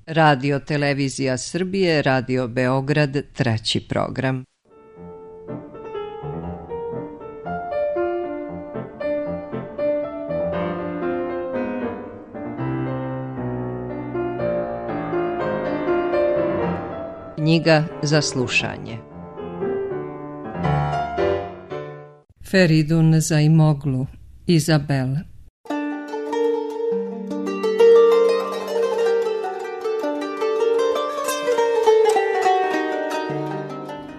Radio Televizija Srbije, Radio Beograd, 3. program. Knjiga za slušanje. Feridun Zaimoglu, Izabel.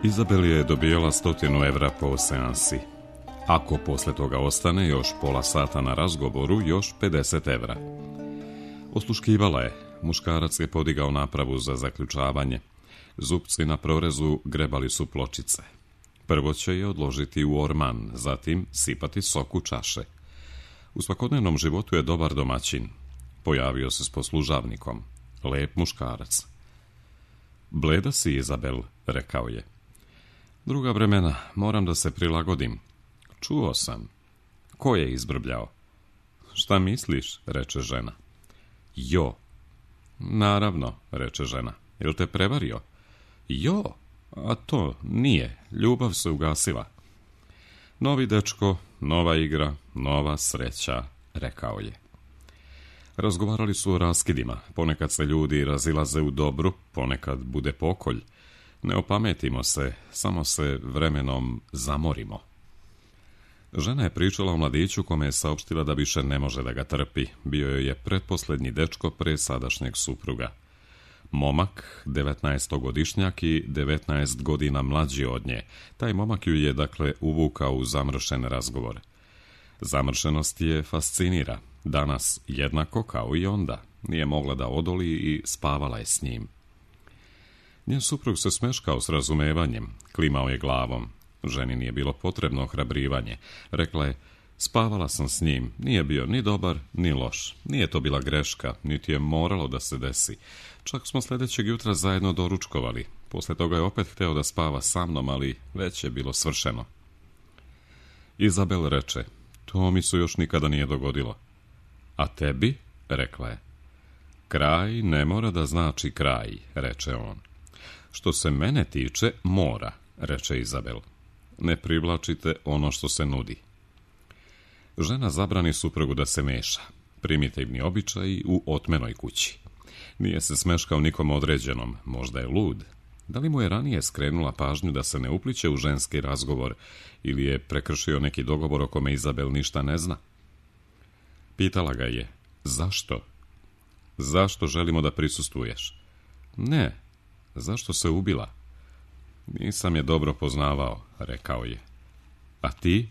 Izabel je dobijala 100 evra po seansi. Ako posle toga ostane još pola sata na razgovoru, još 50 evra. Osluškivala je. Muškarac je podigao napravu za zaključavanje. Zupci na prorezu grebali su pločice. Prvo će je odložiti u orman, zatim sipati sok u čaše. U svakodnevnom životu je dobar domaćin. Pojavio se s poslužavnikom. Lep muškarac. Bleda si, Izabel, rekao je. Druga vremena, moram da se prilagodim. Čuo sam. Ko je izbrbljao? Šta misliš, reče žena. Jo. Naravno, reče žena. Jel te prevario? Jo, a to nije. Ljubav se ugasila. Novi dečko, nova igra, nova sreća, rekao je. Razgovarali su o raskidima. Ponekad se ljudi razilaze u dobru, ponekad bude pokolj. Ne opametimo se, samo se vremenom zamorimo. Žena je pričala o mladiću kome je saopštila da više ne može da ga trpi. Bio joj je pretposlednji dečko pre sadašnjeg supruga. Momak, 19-godišnjak i 19 godina mlađi od nje. Taj momak ju je, dakle, uvukao u zamršen razgovor. Zamršenost je fascinira. Danas jednako kao i onda. Nije mogla da odoli i spavala je s njim. Njen suprug se smeškao s razumevanjem. Klimao je glavom. Ženi nije bilo potrebno ohrabrivanje. Rekla je, spavala sam s njim. Nije bio ni dobar, ni loš. Nije to bila greška, niti je moralo da se desi. Čak smo sljedećeg jutra zajedno doručkovali. Posle toga je opet hteo da spava sa mnom, ali već je bilo svršeno. Izabel reče, to mi se još nikada nije dogodilo. A tebi? Rekla je. Kraj ne mora da znači kraj, reče on. Što se mene tiče, mora, reče Izabel. Ne privlačite ono što se nudi. Žena zabrani suprugu da se meša. Primitivni običaji u otmenoj kući. Nije se smeškao nikom određenom, možda je lud. Da li mu je ranije skrenula pažnju da se ne upliće u ženski razgovor ili je prekršio neki dogovor o kome Izabel ništa ne zna? Pitala ga je, zašto? Zašto želimo da prisustvuješ? Ne, zašto se ubila? Nisam je dobro poznavao, rekao je. A ti?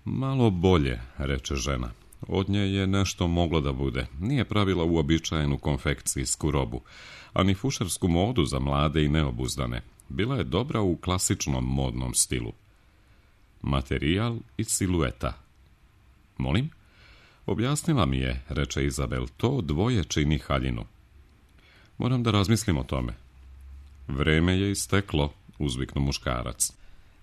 Malo bolje, reče žena. Od nje je nešto moglo da bude. Nije pravila uobičajenu konfekcijsku robu, a ni fušersku modu za mlade i neobuzdane. Bila je dobra u klasičnom modnom stilu. Materijal i silueta. Molim? Objasnila mi je, reče Izabel, to dvoje čini haljinu. Moram da razmislim o tome. Vreme je isteklo, uzviknu muškarac.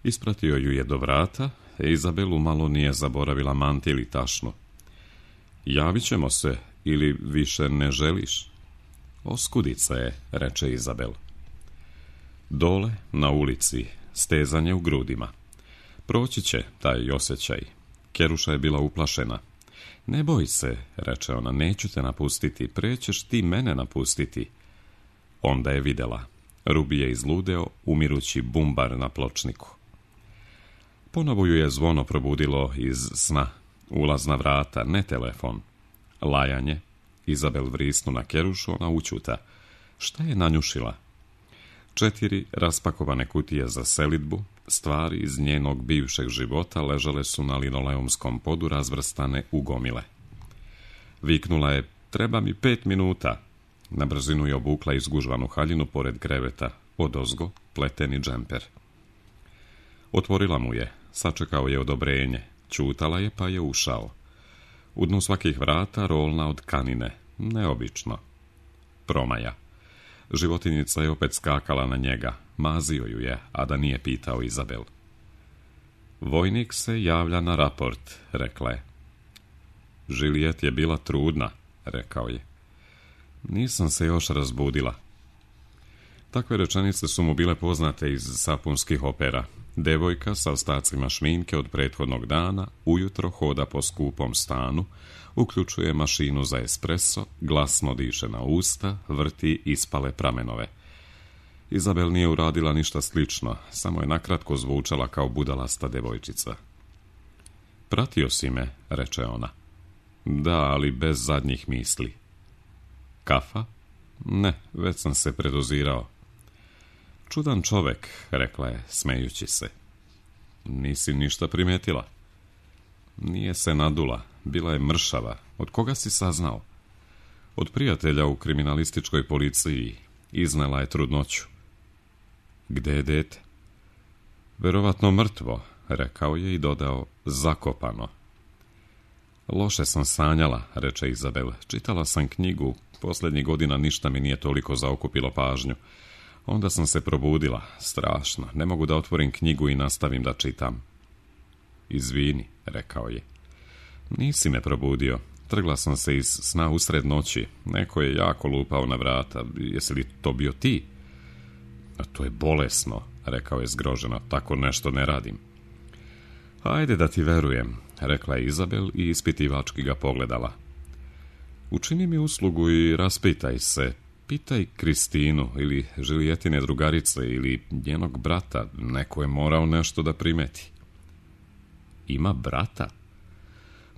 Ispratio ju je do vrata, Izabelu malo nije zaboravila mantil i tašnu. Javit ćemo se, ili više ne želiš? Oskudica je, reče Izabel. Dole, na ulici, stezanje u grudima. Proći će taj osjećaj. Keruša je bila uplašena. Ne boj se, reče ona, neću te napustiti, pre ćeš ti mene napustiti. Onda je videla. Rubi je izludeo, umirući bumbar na pločniku. Ponovo ju je zvono probudilo iz sna. Ulazna vrata, ne telefon. Lajanje. Izabel vrisnu na Kerušu, ona učuta. Šta je nanjušila? 4 raspakovane kutije za selidbu, stvari iz njenog bivšeg života ležale su na linoleumskom podu razvrstane u gomile. Viknula je, treba mi 5 minuta. Na brzinu je obukla izgužvanu haljinu pored kreveta, odozgo pleteni džemper. Otvorila mu je, sačekao je odobrenje, ćutala je pa je ušao. U dnu svakih vrata rolna od kanine, neobično. Promaja. Životinjica je opet skakala na njega, mazio ju je, a da nije pitao Izabel. Vojnik se javlja na raport, rekla je. Žilijet je bila trudna, rekao je. Nisam se još razbudila. Takve rečenice su mu bile poznate iz sapunskih opera. Devojka sa ostacima šminke od prethodnog dana ujutro hoda po skupom stanu, uključuje mašinu za espresso, glasno diše na usta, vrti ispale pramenove. Izabel nije uradila ništa slično, samo je nakratko zvučala kao budalasta devojčica. Pratio si me, reče ona. Da, ali bez zadnjih misli. Kafa? Ne, već sam se predozirao. Čudan čovek, rekla je, smejući se. Nisi ništa primetila? Nije se nadula, bila je mršava. Od koga si saznao? Od prijatelja u kriminalističkoj policiji. Iznela je trudnoću. Gde je dete? Verovatno mrtvo, rekao je i dodao, zakopano. Loše sam sanjala, reče Izabel. Čitala sam knjigu, posljednjih godina ništa mi nije toliko zaokupilo pažnju. Onda sam se probudila, strašno, ne mogu da otvorim knjigu i nastavim da čitam. Izvini, rekao je. Nisi me probudio, trgla sam se iz sna usred noći, neko je jako lupao na vrata, jesi li to bio ti? A to je bolesno, rekao je zgroženo, tako nešto ne radim. Ajde da ti verujem, rekla je Izabel i ispitivački ga pogledala. Učini mi uslugu i raspitaj se, pitaj Kristinu ili Žilijetine drugarice ili njenog brata, neko je morao nešto da primeti. Ima brata?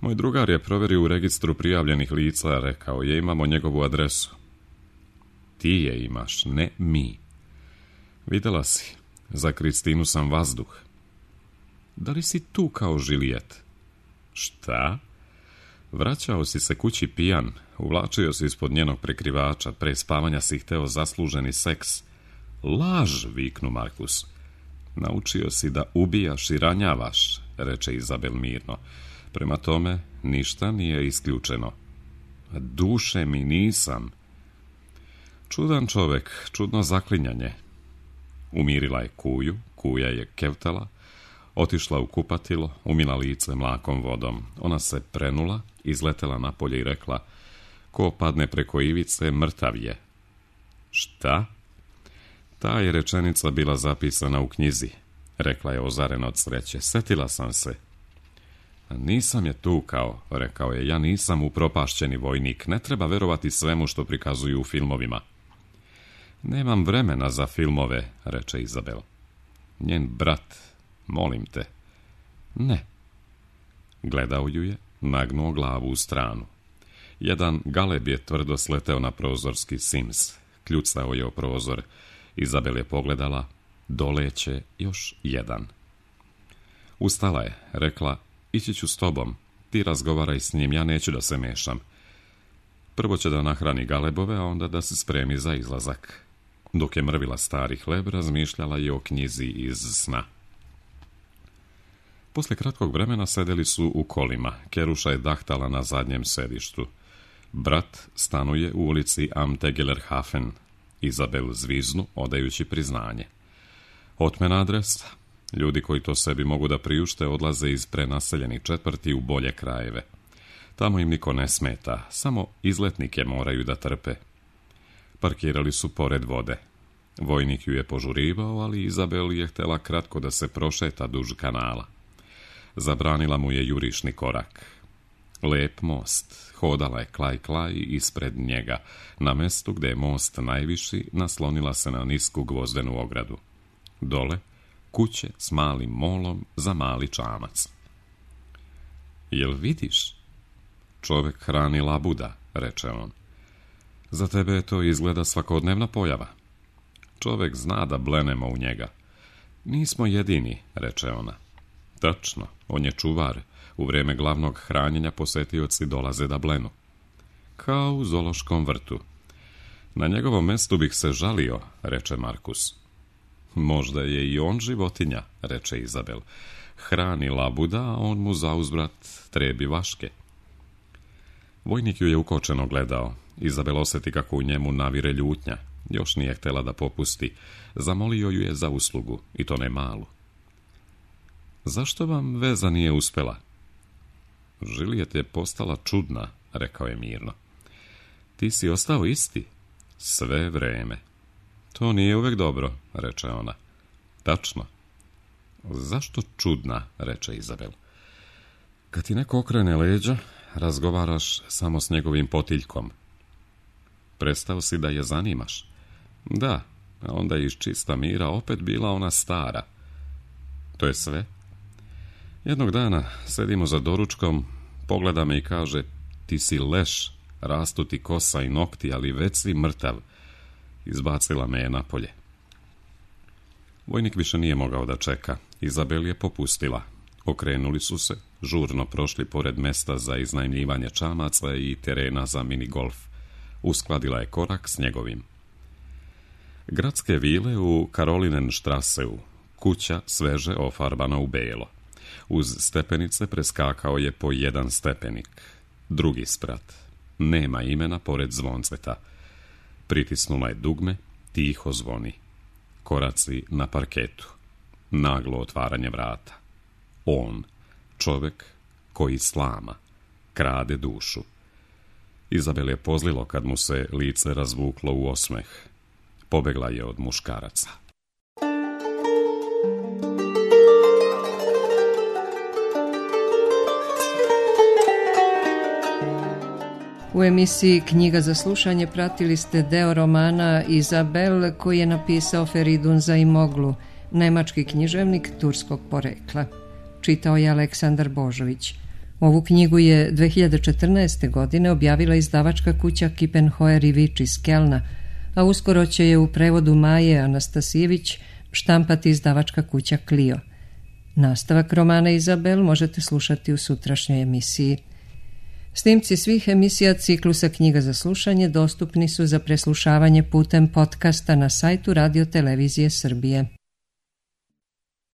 Moj drugar je provjerio u registru prijavljenih lica, rekao je, imamo njegovu adresu. Ti je imaš, ne mi. Vidjela si, za Kristinu sam vazduh. Da li si tu kao Žilijet? Šta? Vraćao si se kući pijan, uvlačio si ispod njenog prekrivača, pre spavanja si hteo zasluženi seks. Laž, viknu Markus. Naučio si da ubijaš i ranjavaš, reče Izabel mirno. Prema tome, ništa nije isključeno. Duše mi nisam. Čudan čovek, čudno zaklinjanje. Umirila je kuju, kuja je kevtala, otišla u kupatilo, umila lice mlakom vodom. Ona se prenula, izletela napolje i rekla, ko padne preko ivice, mrtav je. Šta? Ta je rečenica bila zapisana u knjizi, rekla je ozarena od sreće. Setila sam se. Nisam je tukao, rekao je, ja nisam upropašćeni vojnik, ne treba verovati svemu što prikazuju u filmovima. Nemam vremena za filmove, reče Izabel. Njen brat, molim te. Ne. Gledao ju je, nagnuo glavu u stranu. Jedan galeb je tvrdo sleteo na prozorski sims. Kljucao je o prozor. Izabel je pogledala, doleće još jedan. Ustala je, rekla, ići ću s tobom, ti razgovaraj s njim, ja neću da se mešam. Prvo će da nahrani galebove, a onda da se spremi za izlazak. Dok je mrvila stari hleb, razmišljala je o knjizi iz sna. Posle kratkog vremena sedeli su u kolima. Keruša je dahtala na zadnjem sedištu. Brat stanuje u ulici Am Tegelerhafen. Izabel zviznu, odajući priznanje. Otmen adres. Ljudi koji to sebi mogu da priušte odlaze iz prenaseljenih četvrti u bolje krajeve. Tamo im niko ne smeta, samo izletnike moraju da trpe. Parkirali su pored vode. Vojnik ju je požurivao, ali Izabel je htela kratko da se prošeta duž kanala. Zabranila mu je jurišni korak. Lep most, hodala je klaj ispred njega. Na mestu gde je most najviši, naslonila se na nisku gvozdenu ogradu. Dole, kuće s malim molom za mali čamac. Jel vidiš? Čovek hrani labuda, reče on. Za tebe to izgleda svakodnevna pojava. Čovek zna da blenemo u njega. Nismo jedini, reče ona. Tačno, on je čuvar. U vreme glavnog hranjenja posetioci dolaze da blenu. Kao u zoološkom vrtu. Na njegovom mestu bih se žalio, reče Markus. Možda je i on životinja, reče Izabel. Hrani labuda, a on mu zauzvrat trebi vaške. Vojnik ju je ukočeno gledao. Izabel osjeti kako u njemu navire ljutnja. Još nije htjela da popusti. Zamolio ju je za uslugu, i to ne malu. Zašto vam veza nije uspela? Žilijet je postala čudna, rekao je mirno. ti si ostao isti. Sve vreme. To nije uvek dobro, reče ona. Tačno. Zašto čudna, reče Izabel. Kad ti neko okrene leđa, razgovaraš samo s njegovim potiljkom. Prestao si da je zanimaš. Da, a onda je iz čista mira opet bila ona stara. To je sve. Jednog dana sedimo za doručkom, pogleda me i kaže, ti si leš, rastu ti kosa i nokti, ali već si mrtav. Izbacila me je napolje. Vojnik više nije mogao da čeka. Izabel je popustila. Okrenuli su se, žurno prošli pored mesta za iznajmljivanje čamaca i terena za minigolf. Uskladila je korak s njegovim. Gradske vile u Karolinenstrasseu, kuća sveže ofarbana u belo. Uz stepenice preskakao je po jedan stepenik. Drugi sprat. Nema imena pored zvonceta. Pritisnula je dugme, tiho zvoni. Koraci na parketu. Naglo otvaranje vrata. On, čovek koji slama, krade dušu. Izabel je pozlilo kad mu se lice razvuklo u osmeh. Pobegla je od muškaraca. U emisiji Knjiga za slušanje pratili ste deo romana Izabel koji je napisao Feridun Zaimoglu, nemački književnik turskog porekla. Čitao je Aleksandar Božović. Ovu knjigu je 2014. godine objavila izdavačka kuća Kippenheuer i Vič iz Kelna, a uskoro će je u prevodu Maje Anastasijević štampati izdavačka kuća Clio. Nastavak romana Izabel možete slušati u sutrašnjoj emisiji. Snimci svih emisija ciklusa Knjiga za slušanje dostupni su za preslušavanje putem podcasta na sajtu Radio Televizije Srbije.